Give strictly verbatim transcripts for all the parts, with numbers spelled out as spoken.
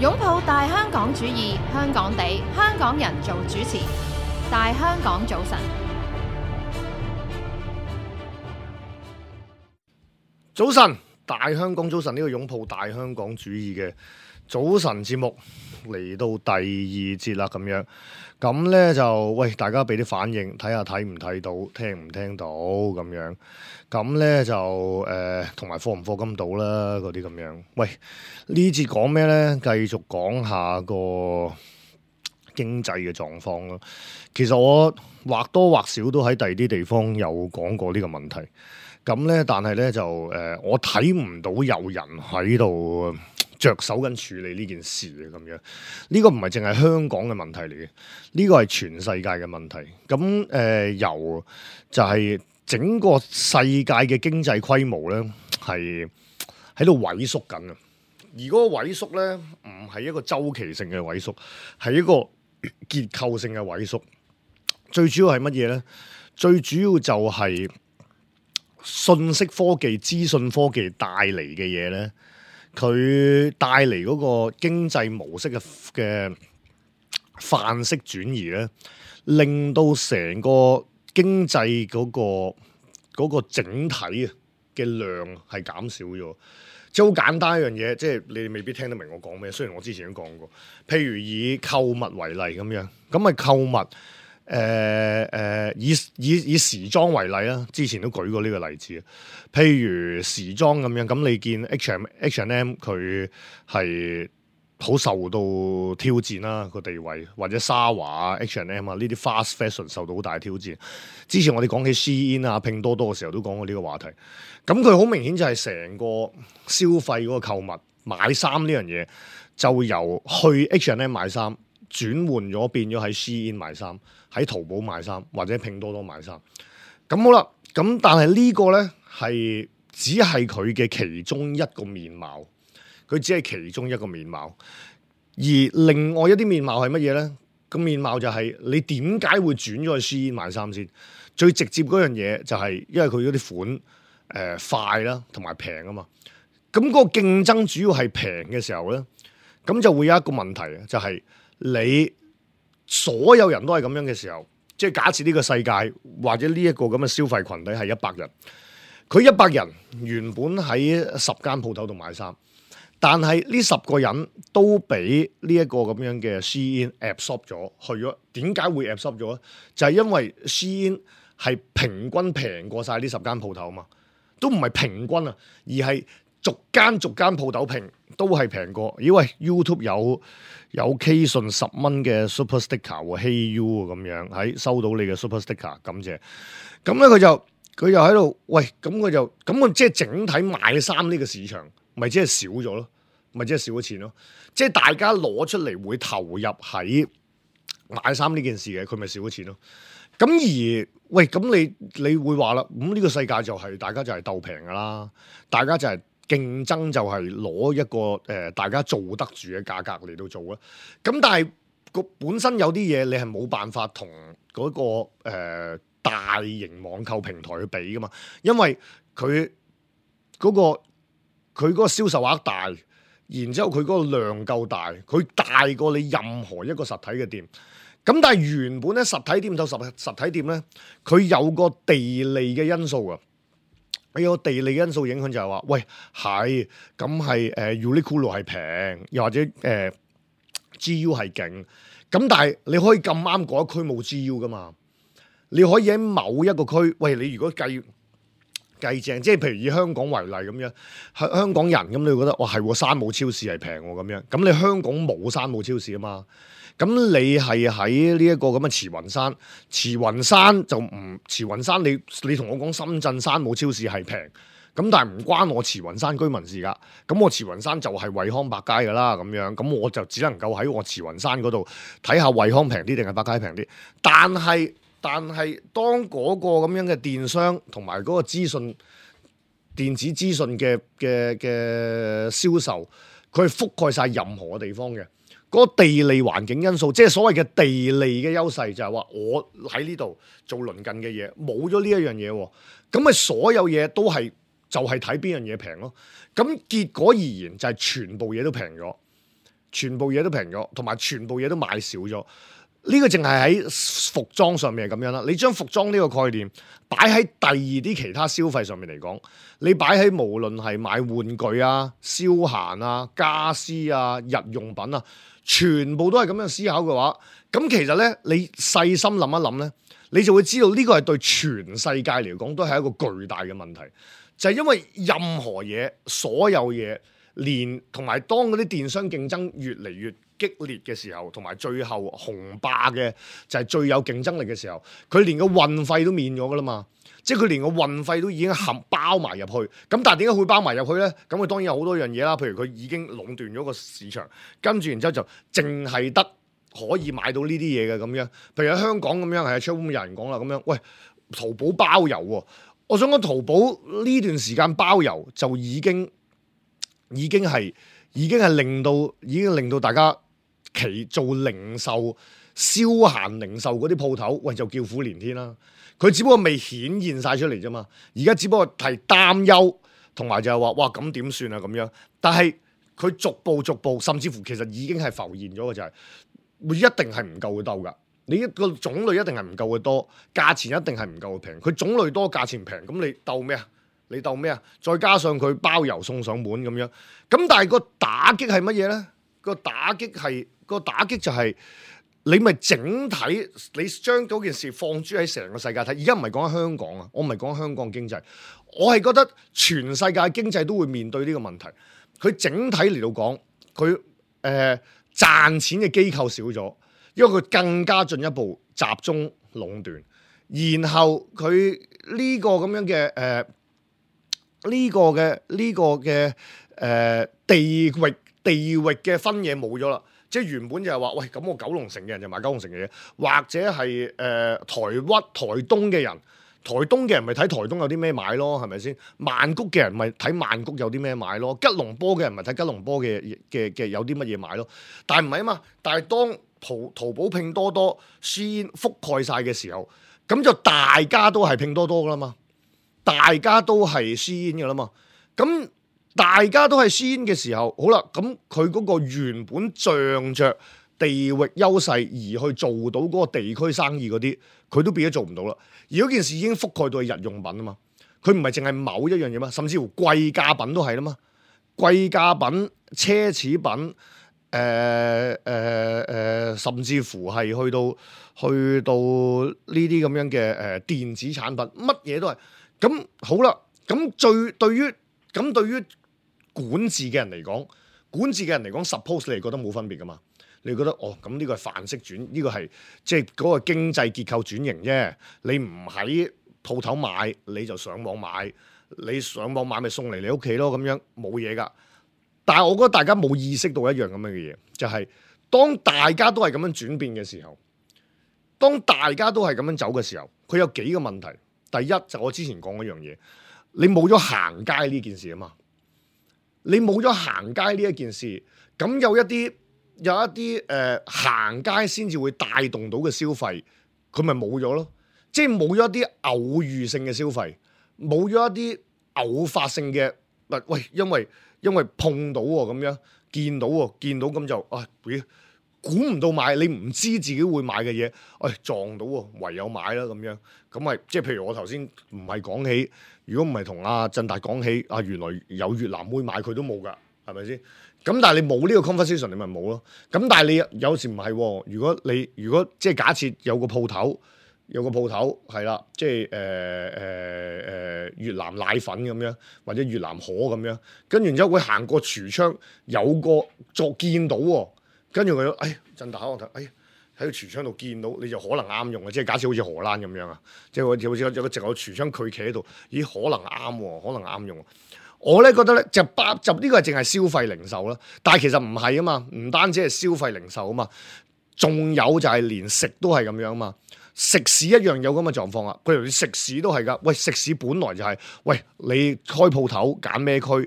擁抱大香港主義，香港地，香港人做主持。大香港早晨，早晨，大香港早晨，呢個擁抱大香港主義嘅早晨節目嚟到第二節啦，咁樣咁呢就喂大家俾啲反應，睇下睇唔睇到，聽唔聽到咁樣，咁呢就誒同埋課唔課金到啦，嗰啲咁樣。喂，呢節講咩呢？繼續講下個經濟嘅狀況咯。其實我或多或少都喺第二啲地方有講過呢個問題。咁咧，但係咧就誒、呃，我睇唔到有人喺度着手緊處理呢件事嘅咁樣。呢個唔係淨係香港嘅問題嚟嘅，呢個係全世界嘅問題。咁誒、呃，由就係整個世界嘅經濟規模咧，係喺度萎縮緊啊！而嗰個萎縮咧，唔係一個周期性嘅萎縮，係一個結構性嘅萎縮。最主要係乜嘢咧？最主要就係信息科技、資訊科技帶嚟嘅嘢咧，佢帶嚟嗰個經濟模式嘅嘅範式轉移咧，令到成個經濟嗰個嗰個整體啊嘅量係減少咗。即係好簡單一樣嘢，即係你哋未必聽得明我講咩。雖然我之前都講過，譬如以購物為例咁樣，咁啊購物。誒誒、呃呃，以以以時裝為例啦，之前都舉過呢個例子。譬如時裝咁樣，咁你見 H and M H and M 佢係好受到挑戰啦個地位，或者沙華啊 H and M 啊呢啲 fast fashion 受到好大挑戰。之前我哋講起 Shein 啊、拼多多嘅時候都講過呢個話題。咁佢好明顯就係成個消費嗰個購物買衫呢樣嘢，就由去 H and M 買衫轉換咗變咗喺 Shein 買衫。喺淘寶買衫或者拼多多買衫，咁好啦。咁但係呢個呢，係只係佢嘅其中一個面貌，佢只係其中一個面貌。而另外一啲面貌係乜嘢呢？個面貌就係你點解會轉咗去 Shein 買衫先？最直接嗰樣嘢就係因為佢嗰啲款誒、呃、快啦，同埋平啊嘛。咁嗰個競爭主要係平嘅時候呢，咁就會有一個問題，就係你。所有人都係咁樣嘅時候，即係假設呢個世界或者呢一個咁嘅消費群體係一百人，佢一百人原本喺十間鋪頭度買衫，但係呢十個人都俾呢一個咁樣嘅 Shein absorb 咗去咗。點解會 absorb 咗咧？就係因為 Shein係平均平過晒呢十間鋪頭嘛，都唔係平均啊，而係逐間逐間鋪頭平都係平過。咦喂 YouTube 有有 K 信十蚊嘅 Super Sticker 喎，Hey You 咁樣喺收到你嘅 Super Sticker，感謝。咁咧佢就佢就喺度，喂，咁佢就咁佢即係整體賣衫呢個市場，咪即係少咗咯，咪即係少咗錢咯。即係大家攞出嚟會投入喺買衫呢件事嘅，佢咪少咗錢咯。咁而喂，咁你你會話啦，咁呢個世界就係大家就係鬥平噶啦，大家就係。競爭就係攞一個誒、呃、大家做得住嘅價格嚟到做啦。咁但係個本身有啲嘢你係冇辦法同嗰、那個誒、呃、大型網購平台去比噶嘛，因為佢嗰、那個佢嗰個銷售額大，然之後佢嗰個量夠大，佢大過你任何一個實體嘅店。咁但係原本咧實體店就實實體店咧，佢有個地利嘅因素啊。有個地理因素影響就係話，喂係咁係誒 Uniqlo 係平，又或者誒、呃、G U 係勁，咁但係你可以咁啱嗰一區冇 G U 噶嘛？你可以喺某一個區，喂你如果計計正，即係譬如以香港為例咁樣，香香港人咁你會覺得哇係喎，山姆超市係平喎咁樣，咁你香港冇山姆超市啊嘛？咁你係喺呢一個咁嘅慈雲山，慈雲山就唔慈雲山你，你你同我講深圳山姆超市係平，咁但係唔關我慈雲山居民事噶，咁我慈雲山就係惠康百佳噶啦，咁樣，咁我就只能夠喺我慈雲山嗰度睇下惠康平啲定係百佳平啲，但係但係當嗰個咁樣嘅電商同埋嗰個資訊電子資訊嘅嘅嘅銷售，佢係覆蓋晒任何嘅地方嘅。嗰個地利環境因素，即係所謂嘅地利嘅優勢，就係話我喺呢度做鄰近嘅嘢，冇咗呢一樣嘢，咁咪所有嘢都係就係睇邊樣嘢平咯。咁結果而言就係全部嘢都平咗，全部嘢都平咗，同埋全部嘢都買少咗。呢個淨係喺服裝上面係咁樣啦。你將服裝呢個概念擺喺第二啲其他消費上面嚟講，你擺喺無論係買玩具啊、消閒啊、家私啊、日用品啊，全部都係咁樣思考嘅話，咁其實咧，你細心諗一諗咧，你就會知道呢個係對全世界嚟講都係一個巨大嘅問題，就係因為任何嘢、所有嘢，連同埋當嗰啲電商競爭越嚟越激烈嘅時候，同埋最後雄霸嘅就係最有競爭力嘅時候，佢連個運費都免咗噶啦嘛，即係佢連個運費都已經含包埋入去。咁但係點解會包埋入去咧？咁佢當然有好多樣嘢啦，譬如佢已經壟斷咗個市場，跟住然之後就淨係得可以買到呢啲嘢嘅咁樣。譬如喺香港咁樣，係出邊有人講啦咁樣，喂，淘寶包郵喎，我想講淘寶呢段時間包郵就已經已經係已經係令到已經令到大家。其做零售、消閒零售嗰啲鋪頭，喂就叫苦連天啦。佢只不過未顯現晒出嚟啫嘛，而家只不過係擔憂，同埋就係話哇咁點算啊咁樣。但係佢逐步逐步，甚至乎其實已經係浮現咗嘅就係、是，會一定係唔夠佢鬥㗎。你一個種類一定係唔夠佢多，價錢一定係唔夠佢平。佢種類多，價錢平，咁你鬥咩啊？你鬥咩啊？再加上佢包郵送上門咁樣，咁但係個打擊係乜嘢咧？個打擊係。個打擊就係你咪整體，你將嗰件事放諸喺成個世界睇。而家唔係講緊香港啊，我唔係講香港經濟，我係覺得全世界經濟都會面對呢個問題。佢整體嚟到講，佢誒、呃、賺錢嘅機構少咗，因為佢更加進一步集中壟斷，然後佢呢個咁樣嘅誒呢個嘅呢、這個嘅誒、呃、地域地域嘅分野冇咗啦。即係原本就係話，喂，咁我九龍城嘅人就買九龍城嘅嘢，或者係誒、呃、台灣、台東嘅人，台東嘅人咪睇台東有啲咩買咯，係咪先？曼谷嘅人咪睇曼谷有啲咩買咯，吉隆坡嘅人咪睇吉隆坡嘅嘅嘅有啲乜嘢買咯。但係唔係啊嘛？但係當淘淘寶、拼多多、Shein覆蓋晒嘅時候，咁就大家都係拼多多噶啦嘛，大家都係 Shein噶啦嘛，咁。大家都係先嘅時候，好啦，咁佢嗰個原本仗着地域優勢而去做到嗰個地區生意嗰啲，佢都變咗做唔到啦。而嗰件事已經覆蓋到係日用品啊嘛，佢唔係淨係某一樣嘢嘛，甚至乎貴價品都係啦嘛，貴價品、奢侈品，誒誒誒，甚至乎係去到去到呢啲咁樣嘅誒電子產品，乜嘢都係。咁好啦，咁最對於咁對於管治嘅人嚟講，管治嘅人嚟講 suppose 你係覺得冇分別噶嘛？你覺得哦，咁呢個係範式轉，呢個係即係嗰個經濟結構轉型啫。你唔喺鋪頭買，你就上網買，你上網買咪送嚟你屋企咯，咁樣冇嘢噶。但係我覺得大家冇意識到一樣咁樣嘅嘢，就係當大家都係咁樣轉變嘅時候，當大家都係咁樣走嘅時候，佢有幾個問題。第一就係我之前講嗰樣嘢，你冇咗行街呢件事啊嘛。你冇咗行街呢一件事，咁有一啲有一啲誒、呃、行街先至會帶動到嘅消費，佢咪冇咗咯？即係冇咗一啲偶遇性嘅消費，冇咗一啲偶發性嘅，喂，因為因為碰到喎咁樣，見到喎，見到咁就啊，估唔到買，你唔知自己會買嘅嘢，喂、哎、撞到喎，唯有買啦咁樣，咁咪即係譬如我頭先唔係講起。如果唔係同阿振達講起，啊原來有越南妹買佢都冇㗎，係咪先？咁但係你冇呢個 conversation，你咪冇咯。咁但係你有時唔係喎。如果你如果即係假設有個鋪頭，有個鋪頭係啦，即係誒誒誒越南奶粉咁樣，或者越南河咁樣，跟住然之後會行過櫥窗，有個作見到喎，跟住佢，哎振達我睇，哎。喺個櫥窗度見到你就可能啱用嘅，即係假設好似荷蘭咁樣啊，即係好似好似有個直有櫥窗佢企喺度，咦可能啱喎，可能啱用。我咧覺得咧就八就呢個係淨係消費零售啦，但係其實唔係啊嘛，唔單止係消費零售啊嘛，仲有就係連食都係咁樣啊嘛。食肆一樣有咁嘅狀況啊！譬如食肆都係㗎，喂，食肆本來就係、是，喂，你開鋪頭揀咩區，尤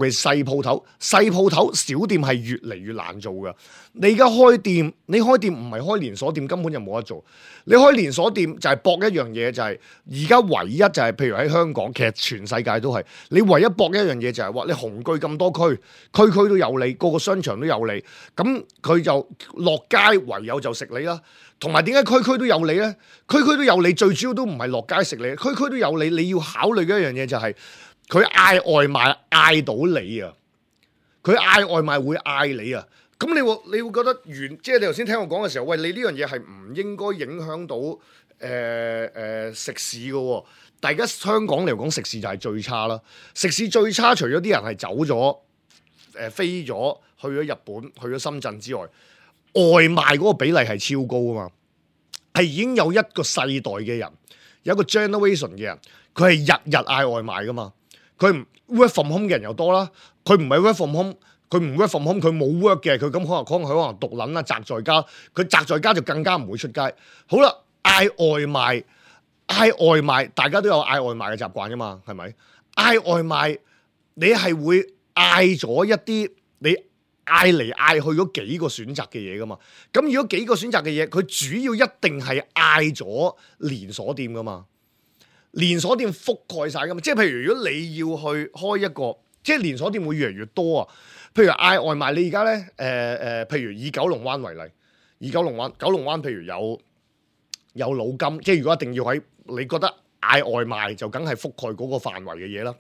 其細鋪頭，細鋪頭小店係越嚟越難做㗎。你而家開店，你開店唔係開連鎖店，根本就冇得做。你開連鎖店就係搏一樣嘢，就係而家唯一就係、是，譬如喺香港，其實全世界都係，你唯一搏一樣嘢就係、是、話，你紅據咁多區，區區都有你，個個商場都有你，咁佢就落街唯有就食你啦。同埋點解區區都有你呢？區區都有你，最主要都唔係落街食你，區區都有你。你要考慮嘅一樣嘢就係佢嗌外賣嗌到你啊！佢嗌外賣會嗌你啊！咁你會你會覺得原即係你頭先聽我講嘅時候，喂，你呢樣嘢係唔應該影響到誒誒、呃呃、食肆嘅喎。但而家香港嚟講，食肆就係最差啦。食肆最差，除咗啲人係走咗誒、呃、飛咗去咗日本、去咗深圳之外。外賣嗰個比例係超高啊嘛，係已經有一個世代嘅人，有一個 generation 嘅人，佢係日日嗌外賣噶嘛。佢唔 work from home 嘅人又多啦，佢唔係 work from home，佢唔 work from home，佢冇 work 嘅，佢咁可能可能佢可能獨撚啦，宅在家，佢宅在家就更加唔會出街。好啦，嗌外賣，嗌外賣，大家都有嗌外賣嘅習慣噶嘛，係咪？嗌外賣，你係會嗌咗一啲你。嗌嚟嗌去嗰幾個選擇嘅嘢噶嘛，咁如果幾個選擇嘅嘢，佢主要一定係嗌咗連鎖店噶嘛，連鎖店覆蓋晒噶嘛，即係譬如如果你要去開一個，即係連鎖店會越嚟越多啊。譬如嗌外賣，你而家咧，誒、呃、誒，譬如以九龍灣為例，以九龍灣，九龍灣譬如有有老金，即係如果一定要喺你覺得嗌外賣就梗係覆蓋嗰個範圍嘅嘢啦。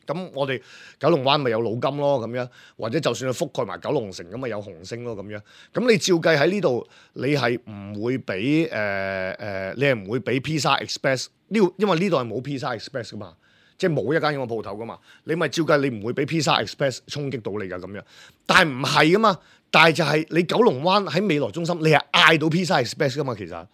咁我哋九龍灣咪有老金咯，咁樣，或者就算係覆蓋埋九龍城咁咪有紅星咯，咁樣。咁你照計喺呢度，你係唔會俾誒誒，你係唔會俾 Pizza Express 呢？因為呢度係冇 Pizza Express 噶嘛，即係冇一間咁嘅鋪頭噶嘛。你咪照計，你唔會俾 Pizza Express 衝擊到你噶咁樣。但係唔係噶嘛？但係就係你九龍灣喺未來中心，你係嗌到 Pizza Express 噶嘛，其實。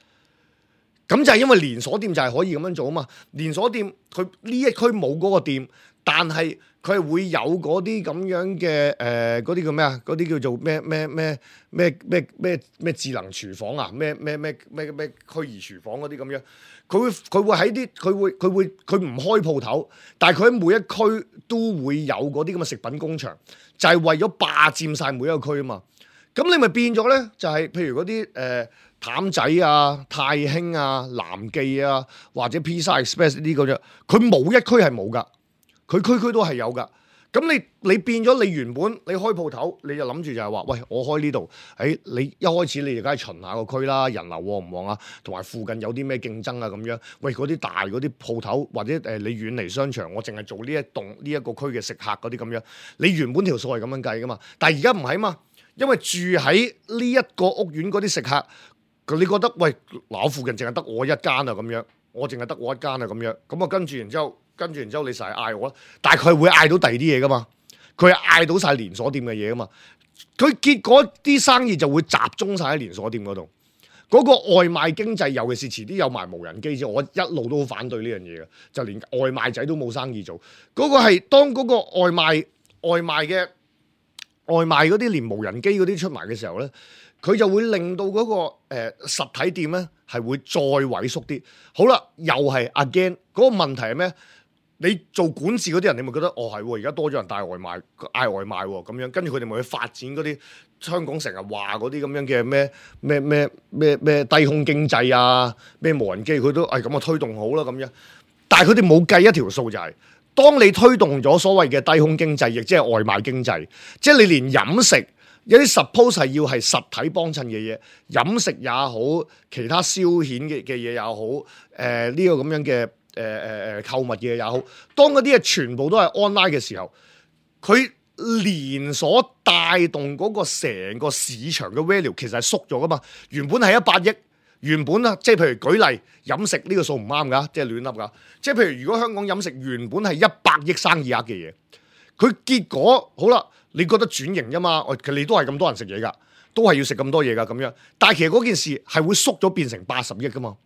咁就係因為連鎖店就係可以咁樣做啊嘛。連鎖店佢呢一區冇嗰個店。但係佢係會有嗰啲咁樣嘅誒嗰啲叫咩啊？嗰啲叫做咩咩咩咩咩咩咩智能廚房啊？咩咩咩咩咩虛擬廚房嗰啲咁樣，佢會佢會喺啲佢會佢會佢唔開鋪頭，但係佢喺每一區都會有嗰啲咁嘅食品工場，就係、是、為咗霸佔晒每一個區啊嘛。咁你咪變咗咧？就係、是、譬如嗰啲誒譚仔啊、太興啊、南記啊，或者 Pizza Express 呢啲咁樣，佢冇一區係冇㗎。佢區區都係有㗎，咁你你變咗你原本你開鋪頭，你就諗住就係話，喂，我開呢度，誒、哎，你一開始你就梗係巡下個區啦，人流旺唔旺啊，同埋附近有啲咩競爭啊咁樣。喂，嗰啲大嗰啲鋪頭或者誒、呃、你遠離商場，我淨係做呢一棟呢一個區嘅食客嗰啲咁樣，你原本條數係咁樣計㗎嘛。但係而家唔係嘛，因為住喺呢一個屋苑嗰啲食客，你覺得喂，嗱，我附近淨係得我一間啊咁樣，我淨係得我一間啊咁樣，咁啊跟住然之後。跟住然之後你成日嗌我啦，但係佢會嗌到第二啲嘢噶嘛，佢係嗌到晒連鎖店嘅嘢噶嘛，佢結果啲生意就會集中晒喺連鎖店嗰度。嗰、那個外賣經濟，尤其是遲啲有埋無人機之後，我一路都好反對呢樣嘢嘅，就連外賣仔都冇生意做。嗰、那個係當嗰個外賣外賣嘅外賣嗰啲連無人機嗰啲出埋嘅時候咧，佢就會令到嗰、那個誒、呃、實體店咧係會再萎縮啲。好啦，又係 again 嗰個問題係咩？你做管治嗰啲人，你咪覺得哦係喎，而家多咗人帶外賣嗌外賣喎，咁樣跟住佢哋咪去發展嗰啲香港成日話嗰啲咁樣嘅咩咩咩咩咩低空經濟啊，咩無人機佢都係咁啊推動好啦咁樣。但係佢哋冇計一條數就係、是，當你推動咗所謂嘅低空經濟，亦即係外賣經濟，即係你連飲食有啲 suppose 係要係實體幫襯嘅嘢，飲食也好，其他消遣嘅嘅嘢也好，誒、呃、呢、這個咁樣嘅。誒誒誒購物嘅也好，當嗰啲嘢全部都係 online 嘅時候，佢連鎖帶動嗰個成個市場嘅 value 其實係縮咗噶嘛。原本係一百億，原本啊，即係譬如舉例飲食呢個數唔啱㗎，即係亂噏㗎。即係譬如如果香港飲食原本係一百億生意額嘅嘢，佢結果好啦，你覺得轉型啫嘛？其實你都係咁多人食嘢㗎，都係要食咁多嘢㗎咁樣。但係其實嗰件事係會縮咗變成八十億㗎嘛。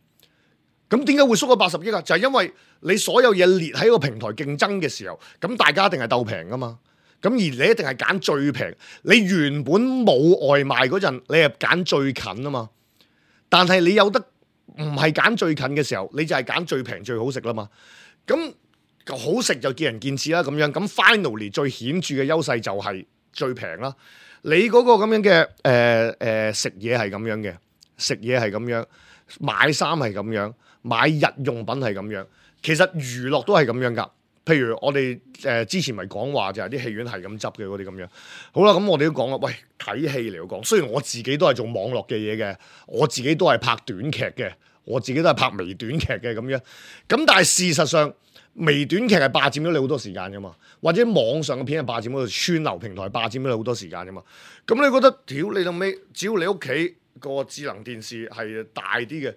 咁點解會縮咗八十億啊？就係、是、因為你所有嘢列喺個平台競爭嘅時候，咁大家一定係鬥平噶嘛。咁而你一定係揀最平。你原本冇外賣嗰陣，你係揀最近啊嘛。但係你有得唔係揀最近嘅時候，你就係揀最平最好食啦嘛。咁好食就見仁見智啦，咁樣咁 finally 最顯著嘅優勢就係最平啦。你嗰個咁樣嘅誒誒食嘢係咁樣嘅，食嘢係咁樣，買衫係咁樣，買日用品係咁樣，其實娛樂都係咁樣㗎。譬如我哋誒、呃、之前咪講話就係啲戲院係咁執嘅嗰啲咁樣。好啦，咁我哋都講啦，喂，睇戲嚟講，雖然我自己都係做網絡嘅嘢嘅，我自己都係拍短劇嘅，我自己都係拍微短劇嘅咁樣。咁但係事實上，微短劇係霸佔咗你好多時間噶嘛，或者網上嘅片係霸佔咗串流平台霸佔咗你好多時間噶嘛。咁你覺得屌你老尾，只要你屋企個智能電視係大啲嘅，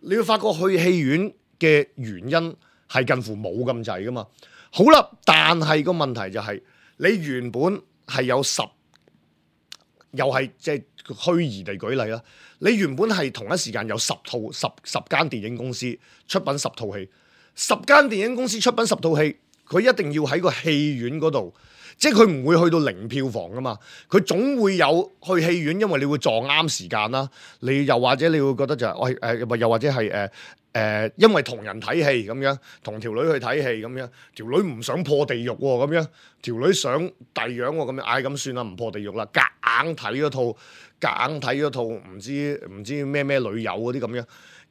你會發覺去戲院嘅原因係近乎冇咁滯噶嘛。好啦，但係個問題就係、是、你原本係有十，又係即係虛擬地舉例啦。你原本係同一時間有十套十十間電影公司出品十套戲。十間電影公司出品十套戲，佢一定要喺個戲院嗰度，即係佢唔會去到零票房噶嘛，佢總會有去戲院，因為你會撞啱時間啦。你又或者你會覺得就係喂誒，又或者係誒誒，因為同人睇戲咁樣，同條女去睇戲咁樣，條女唔想破地獄喎咁樣，條女想第樣喎咁樣，唉咁算啦，唔破地獄啦，夾硬睇嗰套，夾硬睇嗰套唔知唔知咩咩女友嗰啲咁樣。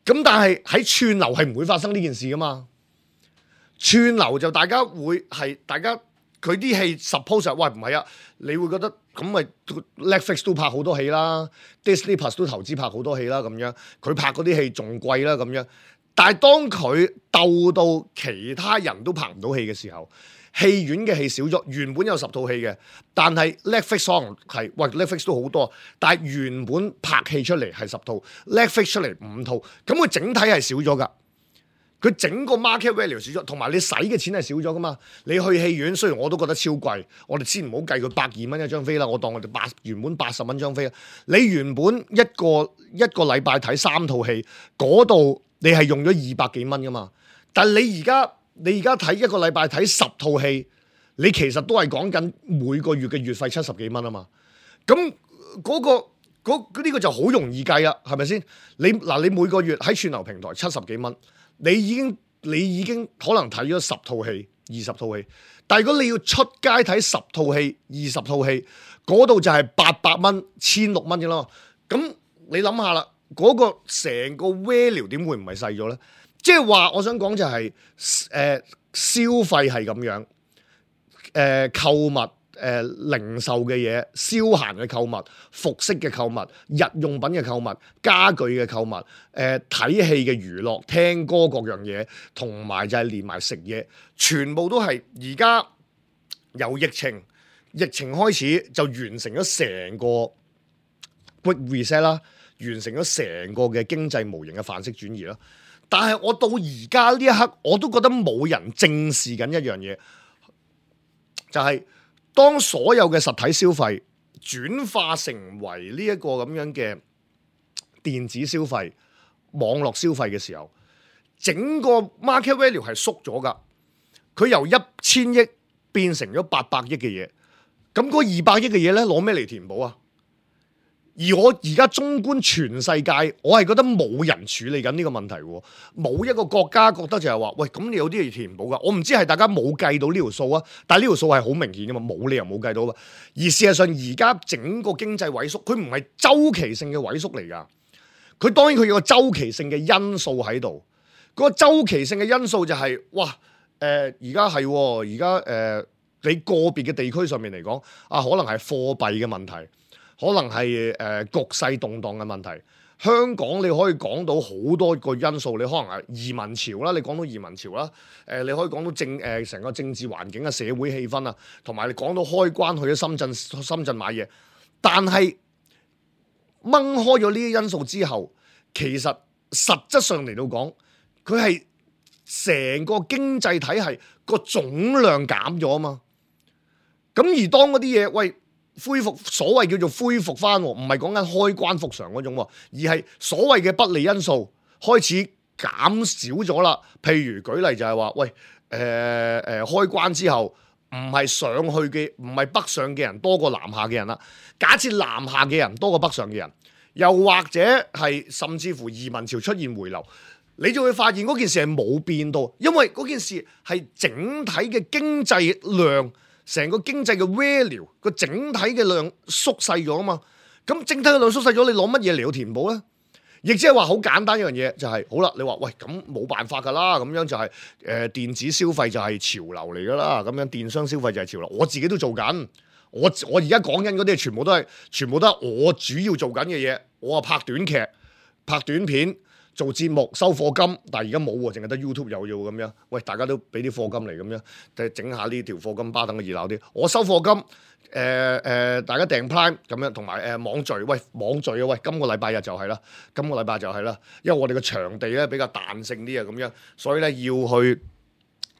咁但係喺串流係唔會發生呢件事噶嘛。串流就大家會係大家佢啲戲 suppose 喂唔係啊，你會覺得咁咪 Netflix 都拍好多戲啦 ，Disney Plus 都投資拍好多戲啦咁樣，佢拍嗰啲戲仲貴啦咁樣。但係當佢鬥到其他人都拍唔到戲嘅時候，戲院嘅戲少咗，原本有十套戲嘅，但係 Netflix 可能係喂 Netflix 都好多，但係原本拍戲出嚟係十套 ，Netflix 出嚟五套，咁佢整體係少咗㗎。佢整個 market value 少咗，同埋你使嘅錢係少咗噶嘛？你去戲院雖然我都覺得超貴，我哋先唔好計佢百二蚊一張飛啦，我當我哋八原本八十蚊張飛啦。你原本一個一個禮拜睇三套戲，嗰度你係用咗二百幾蚊噶嘛？但係你而家你而家睇一個禮拜睇十套戲，你其實都係講緊每個月嘅月費七十幾蚊啊嘛。咁嗰個嗰呢個就好容易計啦，係咪先？你嗱你每個月喺串流平台七十幾蚊。你已經你已經可能睇咗十套戲、二十套戲，但係如果你要出街睇十套戲、二十套戲，嗰度就係八百蚊、千六蚊嘅咯。咁你諗下啦，嗰、嗰個成個 value 點會唔係細咗咧？即係話我想講就係、是、誒、呃、消費係咁樣，誒、呃、購物。誒、呃、零售嘅嘢、消閒嘅購物、服飾嘅購物、日用品嘅購物、家具嘅購物、誒、呃、睇戲嘅娛樂、聽歌各樣嘢，同埋就係連埋食嘢，全部都係而家由疫情疫情開始就完成咗成個 quick reset 啦，完成咗成個嘅經濟模型嘅範式轉移啦。但係我到而家呢一刻，我都覺得冇人正視緊一樣嘢，就係、是。當所有嘅實體消費轉化成為呢一個咁樣嘅電子消費、網絡消費嘅時候，整個 market value 係縮咗㗎。佢由一千億變成咗八百億嘅嘢，咁嗰二百億嘅嘢咧，攞咩嚟填補啊？而我而家縱觀全世界，我係覺得冇人處理緊呢個問題喎，冇一個國家覺得就係話，喂，咁你有啲嘢填補㗎。我唔知係大家冇計到呢條數啊，但係呢條數係好明顯㗎嘛，冇理由冇計到㗎。而事實上，而家整個經濟萎縮，佢唔係週期性嘅萎縮嚟㗎。佢當然佢有個週期性嘅因素喺度。嗰個週期性嘅因素就係，哇，誒而家係，而家誒你個別嘅地區上面嚟講，啊，可能係貨幣嘅問題。可能係誒、呃、局勢動盪嘅問題，香港你可以講到好多個因素，你可能係移民潮啦，你講到移民潮啦，誒、呃、你可以講到政誒成、呃、個政治環境啊、社會氣氛啊，同埋你講到開關去咗深圳深圳買嘢，但係掹開咗呢啲因素之後，其實實質上嚟到講，佢係成個經濟體系個總量減咗啊嘛，咁而當嗰啲嘢喂。恢復所謂叫做恢復翻，唔係講緊開關復常嗰種，而係所謂嘅不利因素開始減少咗啦。譬如舉例就係話，喂，誒、呃、誒、呃、開關之後，唔係上去嘅，唔係北上嘅人多過南下嘅人啦。假設南下嘅人多過北上嘅人，又或者係甚至乎移民潮出現回流，你就會發現嗰件事係冇變到，因為嗰件事係整體嘅經濟量，成個經濟嘅 value 個整體嘅量縮細咗啊嘛。咁整體嘅量縮細咗，你攞乜嘢嚟到填補咧？亦即係話好簡單一樣嘢，就係、是、好啦。你話喂，咁冇辦法㗎啦，咁樣就係、是、誒、呃、電子消費就係潮流嚟㗎啦，咁樣電商消費就係潮流。我自己都做緊，我我而家講緊嗰啲全部都係全部都係我主要做緊嘅嘢。我啊拍短劇、拍短片、做節目、收課金，但係而家冇喎，淨係得 YouTube 有要咁樣。喂，大家都俾啲課金嚟咁樣，就整下呢條課金巴等嘅熱鬧啲。我收課金。誒誒、呃呃，大家訂 Prime 咁樣，同埋誒網聚，喂網聚啊，喂今個禮拜日就係啦，今個禮拜就係啦，因為我哋嘅場地咧比較彈性啲啊，咁樣，所以咧要去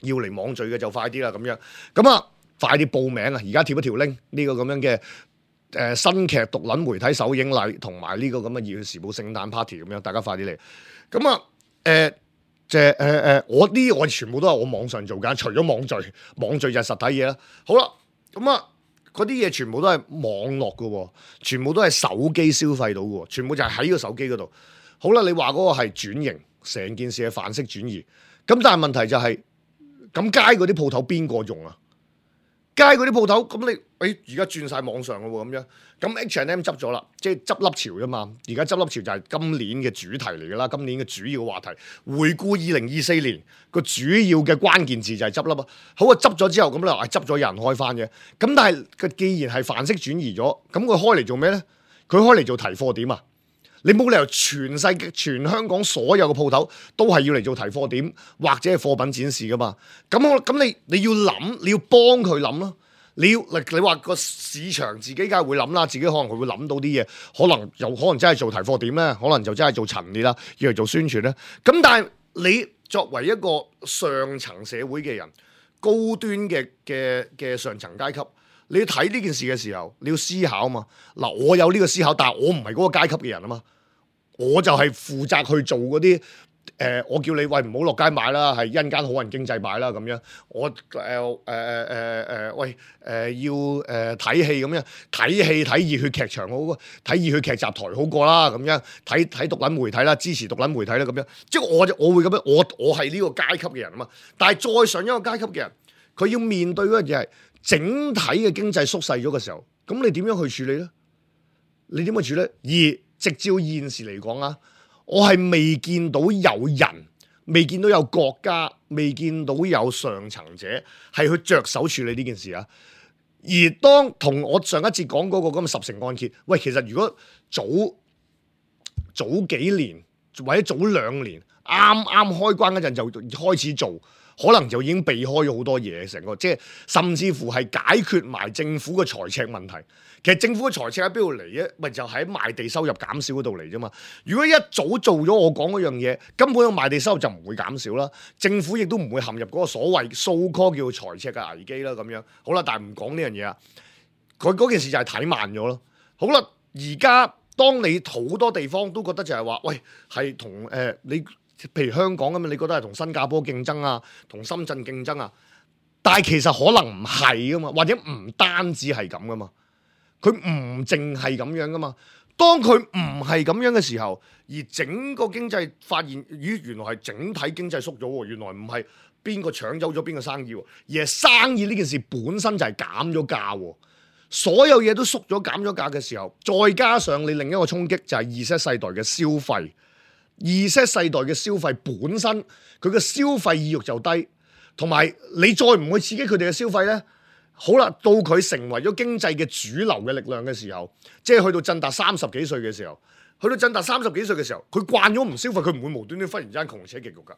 要嚟網聚嘅就快啲啦，咁樣，咁啊快啲報名啊！而家貼一條 link 呢個咁樣嘅誒、呃、新劇獨撚媒體首映禮，同埋呢個咁嘅《熱血時報》聖誕 party 咁樣，大家快啲嚟。咁啊誒即係誒誒，我呢我全部都係我網上做緊，除咗網聚，網聚就係實體嘢啦。好啦，咁啊。嗰啲嘢全部都係網絡嘅，全部都係手機消費到嘅，全部就係喺個手機嗰度。好啦，你話嗰個係轉型，成件事係範式轉移。咁但係問題就係、是，咁街嗰啲鋪頭邊個用啊？街嗰啲鋪頭，咁你誒而家轉晒網上嘅喎，咁樣。咁 H and M 執咗啦，即係執笠潮啫嘛。而家執笠潮就係今年嘅主題嚟㗎啦，今年嘅主要話題。回顧二零二四年個主要嘅關鍵字就係執笠啊。好啊，執咗之後咁你話執咗有人開翻嘅。咁但係佢既然係範式轉移咗，咁佢開嚟做咩咧？佢開嚟做提貨點啊？你冇理由全世界全香港所有嘅鋪頭都係要嚟做提貨點或者係貨品展示噶嘛？咁我咁你你要諗，你要幫佢諗咯。你要你話個市場自己梗係會諗啦，自己可能佢會諗到啲嘢，可能有可能真係做提貨點咧，可能就真係做陳列啦，要嚟做宣傳咧。咁但係你作為一個上層社會嘅人，高端嘅嘅嘅上層階級，你要睇呢件事嘅時候，你要思考啊嘛。嗱，我有呢個思考，但係我唔係嗰個階級嘅人啊嘛，我就係負責去做嗰啲。誒、呃，我叫你喂唔好落街買啦，係因間好人經濟買啦咁樣。我誒誒誒誒誒，喂誒、呃、要誒睇戲咁樣，睇戲睇熱血劇場好過，睇熱血劇集台好過啦咁樣，睇睇獨撚媒體啦，支持獨撚媒體啦咁樣。即係我就我會咁樣，我我係呢個階級嘅人啊嘛。但係再上一個階級嘅人，佢要面對嗰樣嘢係整體嘅經濟縮細咗嘅時候，咁你點樣去處理咧？你點去處理？而直照現時嚟講啊。我係未見到有人，未見到有國家，未見到有上層者係去着手處理呢件事啊！而當同我上一節講嗰個咁嘅十成按揭，喂，其實如果早早幾年或者早兩年啱啱開關嗰陣就開始做，可能就已經避開咗好多嘢，成個即係甚至乎係解決埋政府嘅財赤問題。其實政府嘅財赤喺邊度嚟嘅？咪就喺賣地收入減少嗰度嚟啫嘛。如果一早做咗我講嗰樣嘢，根本個賣地收入就唔會減少啦。政府亦都唔會陷入嗰個所謂 so call 叫財赤嘅危機啦。咁樣好啦，但係唔講呢樣嘢啊。佢嗰件事就係睇慢咗咯。好啦，而家當你好多地方都覺得就係話，喂，係同誒你譬如香港咁樣，你覺得係同新加坡競爭啊，同深圳競爭啊，但係其實可能唔係噶嘛，或者唔單止係咁噶嘛。佢唔淨係咁樣噶嘛，當佢唔係咁樣嘅時候，而整個經濟發現，咦，原來係整體經濟縮咗喎，原來唔係邊個搶走咗邊個生意喎，而係生意呢件事本身就係減咗價喎，所有嘢都縮咗減咗價嘅時候，再加上你另一個衝擊就係 Z 世代嘅消費，Z 世代嘅消費本身佢嘅消費意欲就低，同埋你再唔去刺激佢哋嘅消費呢。好啦，到佢成為咗經濟嘅主流嘅力量嘅時候，即係去到振達三十幾歲嘅時候，去到振達三十幾歲嘅時候，佢慣咗唔消費，佢唔會無端端忽然之間窮且極欲㗎。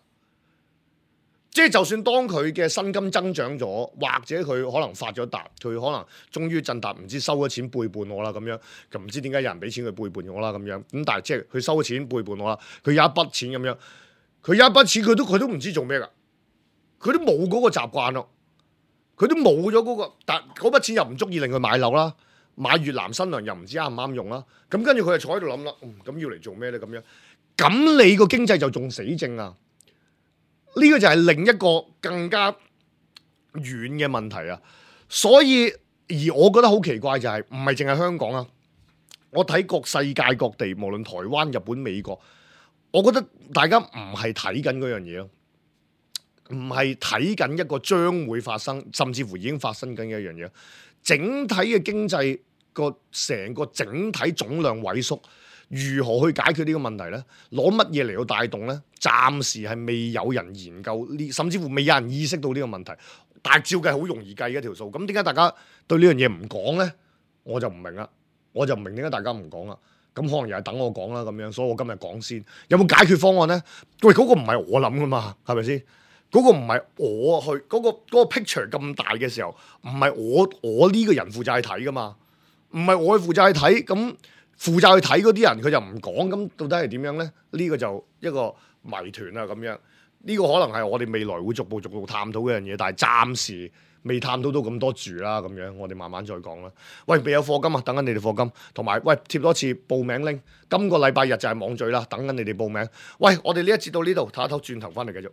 即係就算當佢嘅薪金增長咗，或者佢可能發咗達，佢可能終於振達唔知收咗錢背叛我啦咁樣，咁唔知點解有人俾錢佢背叛我啦咁樣。咁但係即係佢收咗錢背叛我啦，佢有一筆錢咁樣，佢有一筆錢佢都佢都唔知做咩㗎，佢都冇嗰個習慣咯。佢都冇咗嗰個，但嗰筆錢又唔足以令佢買樓啦，買越南新娘又唔知啱唔啱用啦。咁跟住佢就坐喺度諗啦，嗯，咁要嚟做咩咧？咁樣，咁你個經濟就仲死症啊！呢個就係另一個更加遠嘅問題啊！所以而我覺得好奇怪就係，唔係淨係香港啊，我睇各世界各地，無論台灣、日本、美國，我覺得大家唔係睇緊嗰樣嘢咯，唔係睇緊一個將會發生，甚至乎已經發生緊嘅一樣嘢。整體嘅經濟個成個整體總量萎縮，如何去解決呢個問題呢？攞乜嘢嚟到帶動呢？暫時係未有人研究呢，甚至乎未有人意識到呢個問題。但係照計好容易計嘅一條數，咁點解大家對呢樣嘢唔講呢？我就唔明啦，我就唔明點解大家唔講啦。咁可能又係等我講啦咁樣，所以我今日講先。有冇解決方案呢？喂，嗰個唔係我諗噶嘛，係咪先？嗰個唔係我去，嗰個嗰個 picture 咁大嘅時候，唔係我我呢個人負責去睇噶嘛，唔係我去負責去睇，咁負責去睇嗰啲人佢就唔講，咁到底係點樣呢？呢個就一個謎團啊咁樣。呢個可能係我哋未來會逐步逐步探討嘅樣嘢，但係暫時未探討到咁多住啦，咁樣我哋慢慢再講啦。喂，未有課金啊，等緊你哋課金，同埋喂貼多次報名拎，今個禮拜日就係網聚啦，等緊你哋報名。喂，我哋呢一節到呢度，唞一唞，轉頭翻嚟繼續。